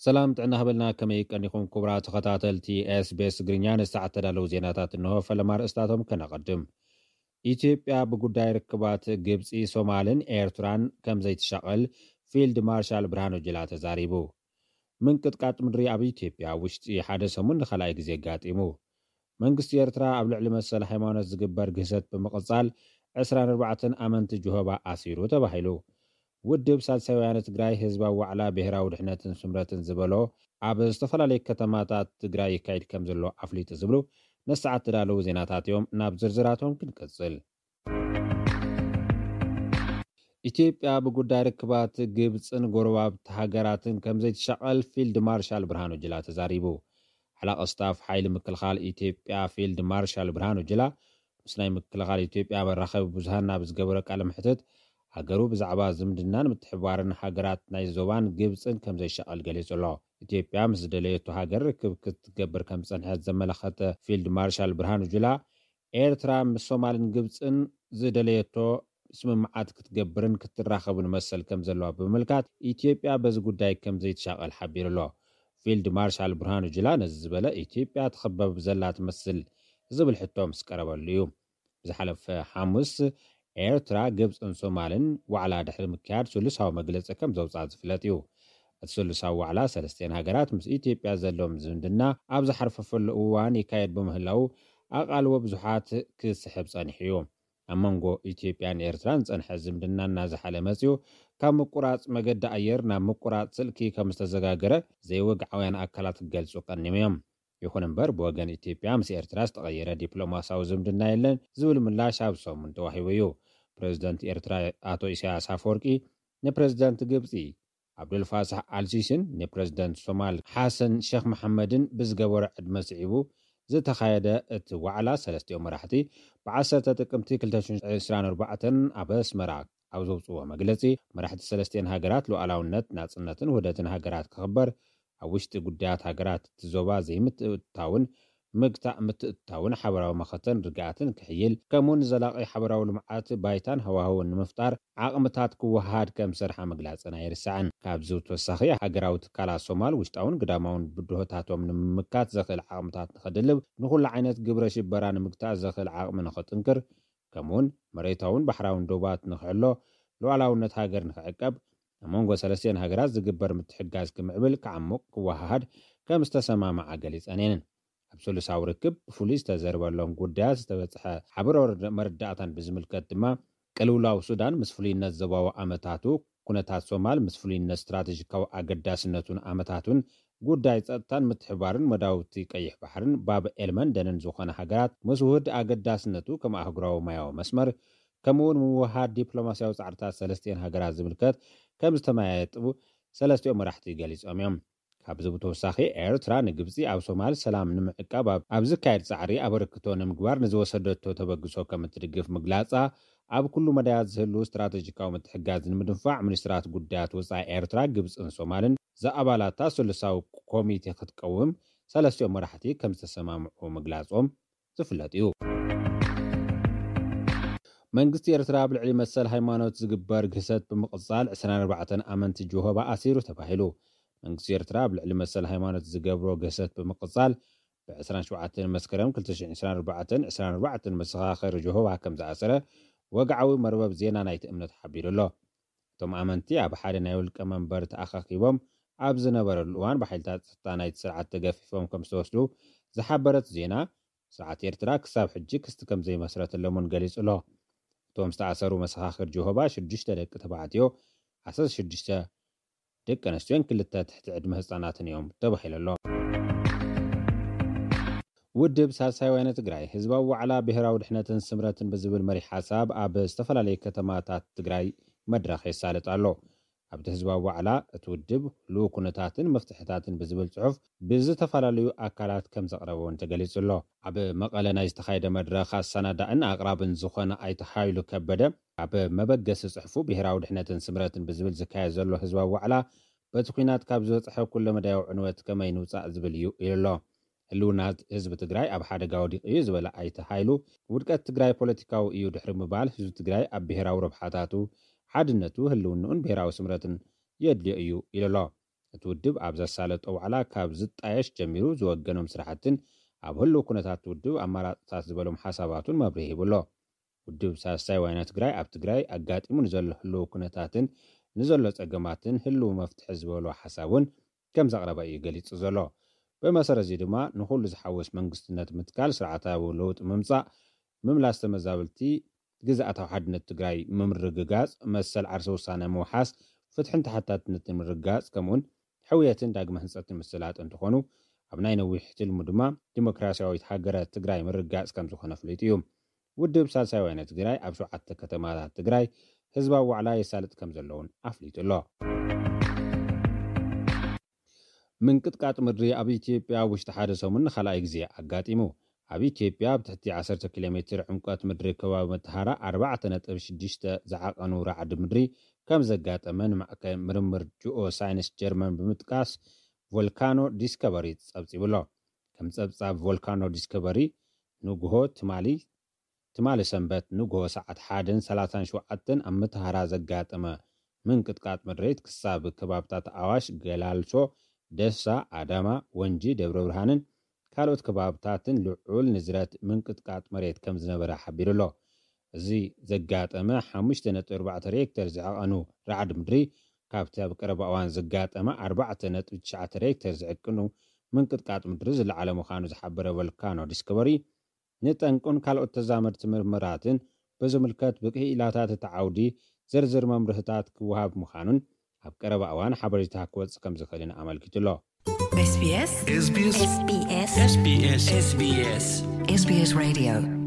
ሰላም ጥዕና ሃበልና፣ ከመይ ቀኒኹም ክቡራት ተኸታተልቲ ኤስቢኤስ ትግርኛ? ንሰዓት ተዳለዉ ዜናታት እንሆ። ፈለማ ርእስታቶም ከነቐድም። ኢትዮጵያ ብጉዳይ ርክባት ግብፂ፣ ሶማልን ኤርትራን ከም ዘይትሻቐል ፊልድ ማርሻል ብርሃኑ ጁላ ተዛሪቡ። ምንቅጥቃጥ ምድሪ ኣብ ኢትዮጵያ ውሽጢ ሓደ ሰሙን ንኻልኣይ ግዜ ኣጋጢሙ። መንግስቲ ኤርትራ ኣብ ልዕሊ መሰል ሃይማኖት ዝግበር ግህሰት ብምቕጻል ዕስራን ኣርባዕተን ኣመንቲ ጅሆባ ኣሲሩ ተባሂሉ። ውድብ ሳልሳይ ወያነ ትግራይ ህዝባዊ ዋዕላ ብሄራዊ ድሕነትን ስምረትን ዝበሎ ኣብ ዝተፈላለዩ ከተማታት ትግራይ ይካየድ ከም ዘሎ ኣፍሊጡ ዝብሉ ንሰዓት ተዳለዉ ዜናታት እዮም። ናብ ዝርዝራቶም ክንቅጽል። ኢትዮጵያ ብጉዳይ ርክባት ግብፅን ጎረባብቲ ሃገራትን ከም ዘይትሻቐል ፊልድ ማርሻል ብርሃኑ ጅላ ተዛሪቡ። ሓላቕ ስታፍ ሓይሊ ምክልኻል ኢትዮጵያ ፊልድ ማርሻል ብርሃኑ ጅላ ምስ ናይ ምክልኻል ኢትዮጵያ መራኸቢ ብዙሃን ናብ ዝገበረ ቃለ መሕትት፣ ሃገሩ ብዛዕባ ዝምድናን ምትሕብባርን ሃገራት ናይ ዞባን ግብፅን ከም ዘይሻቐል ገሊጹ ኣሎ። ኢትዮጵያ ምስ ዝደለየቶ ሃገር ርክብ ክትገብር ከም ዝጸንሐት ዘመላኸተ ፊልድ ማርሻል ብርሃኑ ጁላ፣ ኤርትራ ምስ ሶማልን ግብፅን ዝደለየቶ ስምምዓት ክትገብርን ክትራኸብን መሰል ከም ዘለዋ ብምምልካት፣ ኢትዮጵያ በዚ ጉዳይ ከም ዘይትሻቐል ሓቢሩ ኣሎ። ፊልድ ማርሻል ብርሃኑ ጁላ ነዚ ዝበለ፣ ኢትዮጵያ ትኽበብ ዘላ ትመስል ዝብል ሕቶ ምስ ቀረበሉ እዩ። ብዝሓለፈ ሓሙስ ኤርትራ፣ ግብፅን ሶማልን ዋዕላ ድሕሪ ምክያድ ስሉሳዊ መግለፂ ከም ዘውፅኣ ዝፍለጥ እዩ። እቲ ስሉሳዊ ዋዕላ ሰለስቲአን ሃገራት ምስ ኢትዮጵያ ዘለዎም ዝምድና ኣብ ዝሓርፈፈሉ እዋን ይካየድ ብምህላው፣ ኣቓልቦ ብዙሓት ክስሕብ ጸኒሑ እዩ። ኣብ መንጎ ኢትዮጵያን ኤርትራን ዝጸንሐ ዝምድና እናዘሓለ መጺኡ፣ ካብ ምቁራጽ መገዲ ኣየር ናብ ምቁራጽ ስልኪ ከም ዝተዘጋገረ ዘይወግዓውያን ኣካላት ክገልጹ ቀኒዮም እዮም። ይኹን እምበር፣ ብወገን ኢትዮጵያ ምስ ኤርትራ ዝተቐየረ ዲፕሎማሲያዊ ዝምድና የለን ዝብል ምላሽ ኣብ ሰሙን ተዋሂቡ እዩ። ፕሬዝደንት ኤርትራ ኣቶ ኢሳያስ ኣፈወርቂ ንፕሬዝደንት ግብጺ ዓብዱልፋታሕ ኣልሲሲን ንፕሬዝደንት ሶማል ሓሰን ሼክ መሓመድን ብዝገበሮ ዕድመ ስዒቡ ዝተኻየደ እቲ ዋዕላ፣ ሰለስቲኦም መራሕቲ ብ ዓሰርተ ጥቅምቲ ክልተ ሽሕን ዕስራን ኣርባዕተን ኣብ ኣስመራ ኣብ ዘውፅዎ መግለፂ፣ መራሕቲ ሰለስቲአን ሃገራት ሉዓላውነት፣ ናፅነትን ውህደትን ሃገራት ክኽበር፣ ኣብ ውሽጢ ጉዳያት ሃገራት እቲ ዞባ ዘይምትእትታውን ምግታእ ምትእትታውን ሓበራዊ መኸተን ርግኣትን ክሕይል፣ ከምኡውን ዘላቒ ሓበራዊ ልምዓት ባይታን ሃዋህውን ንምፍጣር ዓቕምታት ክወሃሃድ ከም ዝሰርሓ ምግላጽን ኣይርሳዕን። ካብዚ ብተወሳኺ፣ ሃገራዊ ትካላት ሶማል ውሽጣውን ግዳማውን ብድሆታቶም ንምምካት ዘኽእል ዓቕምታት ንኸድልብ፣ ንኹሉ ዓይነት ግብረ ሽበራ ንምግታእ ዘኽእል ዓቕሚ ንኸጥንክር፣ ከምኡውን መሬታውን ባሕራውን ዶባት ንኽሕሎ፣ ሉዓላውነት ሃገር ንኽዕቀብ፣ ኣብ መንጎ ሰለስቲአን ሃገራት ዝግበር ምትሕግጋዝ ክምዕብል፣ ክዓሙቕ፣ ክወሃሃድ ከም ዝተሰማምዓ ገሊጸን እየን። ኣብ ስሉሳዊ ርክብ ብፍሉይ ዝተዘርበሎም ጉዳያት ዝተበጽሐ ሓበራዊ መረዳእታን ብዝምልከት ድማ፣ ቅልውላው ሱዳን ምስ ፍሉይነት ዞባዊ ኣመታቱ፣ ኩነታት ሶማል ምስ ፍሉይነት ስትራተጂካዊ ኣገዳስነቱን ኣመታቱን፣ ጉዳይ ጸጥታን ምትሕባርን መዳውብቲ ቀይሕ ባሕርን ባብ ኤልመንደንን ዝኾነ ሃገራት ምስ ውህድ ኣገዳስነቱ ከም ኣህጉራዊ ማያዊ መስመር፣ ከምኡውን ምውሃድ ዲፕሎማሲያዊ ጻዕርታት ሰለስቲአን ሃገራት ዝምልከት ከም ዝተመያየጡ ሰለስቲኦም መራሕቲ ገሊጾም እዮም። ካብዚ ብተወሳኺ፣ ኤርትራ ንግብጺ ኣብ ሶማል ሰላም ንምዕቃብ ኣብ ዝካየድ ጻዕሪ ኣበርክቶ ንምግባር ንዝወሰደቶ ተበግሶ ከም እትድግፍ ምግላጻ፣ ኣብ ኩሉ መዳያት ዝህሉ ስትራተጂካዊ ምትሕግጋዝ ንምድንፋዕ፣ ሚኒስትራት ጉዳያት ወጻኢ ኤርትራ፣ ግብጽን ሶማልን ዝኣባላታ ስሉሳዊ ኮሚቴ ክትቀውም ሰለስቲኦም መራሕቲ ከም ዝተሰማምዑ ምግላጾም ዝፍለጥ እዩ። መንግስቲ ኤርትራ ኣብ ልዕሊ መሰል ሃይማኖት ዝግበር ግህሰት ብምቕጻል ዕስራን ኣርባዕተን ኣመንቲ ጆሆባ ኣሲሩ ተባሂሉ። መንግስቲ ኤርትራ ኣብ ልዕሊ መሰል ሃይማኖት ዝገብሮ ግህሰት ብምቕጻል፣ ብ ዕስራን ሸውዓተን መስከረም ክልተ ሽሕን ዕስራን ኣርባዕተን፣ ዕስራን ኣርባዕተን መሰኻኽር ጆሆባ ከም ዝኣሰረ ወግዓዊ መርበብ ዜና ናይቲ እምነት ሓቢሩ ኣሎ። እቶም ኣመንቲ ኣብ ሓደ ናይ ውልቀ መንበር ተኣኻኺቦም ኣብ ዝነበረሉ እዋን፣ ብሓይልታት ጸጥታ ናይቲ ስርዓት ተገፊፎም ከም ዝተወስዱ ዝሓበረት ዜና፣ ስርዓት ኤርትራ ክሳብ ሕጂ ክስቲ ከም ዘይመስረተሎም እውን ገሊጹ ኣሎ። እቶም ዝተኣሰሩ መሰኻኽር ጆሆባ፣ ሽዱሽተ ደቂ ተባዕትዮ፣ ዓሰርተ ሽዱሽተ ደቂ ኣንስትዮን ክልተ ትሕቲ ዕድመ ህጻናትን እዮም ተባሂሉ ኣሎ። ውድብ ሳልሳይ ወያነ ትግራይ ህዝባዊ ዋዕላ ብሄራዊ ድሕነትን ስምረትን ብዝብል መሪሕ ሓሳብ ኣብ ዝተፈላለዩ ከተማታት ትግራይ መድረኽ የሳልጥ ኣሎ። ኣብቲ ህዝባዊ ዋዕላ፣ እቲ ውድብ ህልው ኩነታትን መፍትሕታትን ብዝብል ጽሑፍ ብዝተፈላለዩ ኣካላት ከም ዘቕረበ እውን ተገሊጹ ኣሎ። ኣብ መቐለ ናይ ዝተኻየደ መድረኽ፣ ኣሰናዳእን ኣቕራብን ዝኾነ ኣይተ ሃይሉ ከበደ፣ ኣብ መበገሲ ጽሑፉ፣ ብሄራዊ ድሕነትን ስምረትን ብዝብል ዝካየድ ዘሎ ህዝባዊ ዋዕላ፣ በቲ ኲናት ካብ ዝበጽሐ ኩለመዳያዊ ዕንወት ከመይ ንውጻእ ዝብል እዩ ኢሉ ኣሎ። ህልውና ህዝቢ ትግራይ ኣብ ሓደጋ ወዲቑ እዩ ዝበለ ኣይተ ሃይሉ፣ ውድቀት ትግራይ ፖለቲካዊ እዩ ድሕሪ ምባል፣ ህዝቢ ትግራይ ኣብ ብሄራዊ ረብሓታቱ፣ ሓድነቱ፣ ህልውንኡን ብሄራዊ ስምረትን የድልዮ እዩ ኢሉ ኣሎ። እቲ ውድብ ኣብ ዘሳለጦ ዋዕላ ካብ ዝጣየሽ ጀሚሩ ዝወገኖም ስራሕትን ኣብ ህልው ኩነታት ውድብ ኣማራፅታት ዝበሎም ሓሳባቱን መብርሂ ሂቡ ኣሎ። ውድብ ሳልሳይ ዋይና ትግራይ ኣብ ትግራይ ኣጋጢሙ ንዘሎ ህልው ኩነታትን ንዘሎ ፀገማትን ህልው መፍትሒ ዝበሎ ሓሳብ እውን ከም ዘቕረበ እዩ ገሊፁ ዘሎ። ብመሰረት እዚ ድማ ንኹሉ ዝሓወስ መንግስትነት ምትካል፣ ስርዓታዊ ለውጢ ምምፃእ፣ ምምላስ ተመዛበልቲ፣ ግዝኣታዊ ሓድነት ትግራይ ምምርግጋፅ፣ መሰል ዓርሰ ውሳነ ምውሓስ፣ ፍትሕን ተሓታትነትን ምርግጋፅ፣ ከምኡውን ሕውየትን ዳግመ ህንፀትን ምስላጥ እንትኾኑ፣ ኣብ ናይ ነዊሕ ትልሙ ድማ ዲሞክራሲያዊት ሃገረ ትግራይ ምርግጋፅ ከም ዝኾነ ኣፍሊጡ እዩ። ውድብ ሳልሳይ ወያነ ትግራይ ኣብ ሸውዓተ ከተማታት ትግራይ ህዝባዊ ዋዕላ የሳልጥ ከም ዘለውን ኣፍሊጡ ኣሎ። ምንቅጥቃጥ ምድሪ ኣብ ኢትዮጵያ ኣብ ውሽጢ ሓደ ሰሙን ንኻልኣይ ግዜ ኣጋጢሙ። ኣብ ኢትዮጵያ ኣብ ትሕቲ ዓሰርተ ኪሎ ሜትር ዕምቆት ምድሪ ከባቢ መተሃራ ኣርባዕተ ነጥቢ ሽዱሽተ ዝዓቐኑ ራዕዲ ምድሪ ከም ዘጋጠመ ንማእከል ምርምር ጂኦ ሳይንስ ጀርመን ብምጥቃስ ቮልካኖ ዲስከቨሪ ጸብጺቡ ኣሎ። ከም ጸብጻብ ቮልካኖ ዲስከቨሪ ንግሆ ትማሊ ትማሊ ሰንበት ንግሆ ሰዓት ሓደን ሰላሳን ሸውዓተን ኣብ መተሃራ ዘጋጠመ ምንቅጥቃጥ መሬት ክሳብ ከባብታት ኣዋሽ፣ ገላልሶ፣ ደሳ፣ ኣዳማ፣ ወንጂ፣ ደብረ ብርሃንን ካልኦት ከባብታትን ልዑል ንዝረት ምንቅጥቃጥ መሬት ከም ዝነበረ ሓቢሩ ኣሎ። እዚ ዘጋጠመ ሓሙሽተ ነጥቢ ኣርባዕተ ሬክተር ዝዓቐኑ ራዕዲ ምድሪ ካብቲ ኣብ ቀረባ እዋን ዘጋጠመ ኣርባዕተ ነጥቢ ትሽዓተ ሬክተር ዝዕቅኑ ምንቅጥቃጥ ምድሪ ዝለዓለ ምዃኑ ዝሓበረ ቮልካኖ ዲስከቨሪ ንጠንቁን ካልኦት ተዛመድቲ ምርምራትን ብዝምልከት ብክኢላታት እቲ ዓውዲ ዝርዝር መምርህታት ክወሃብ ምዃኑን ኣብ ቀረባ እዋን ሓበሬታ ክወጽእ ከም ዝኽእልን ኣመልኪቱ ኣሎ። SBS SBS SBS SBS SBS SBS Radio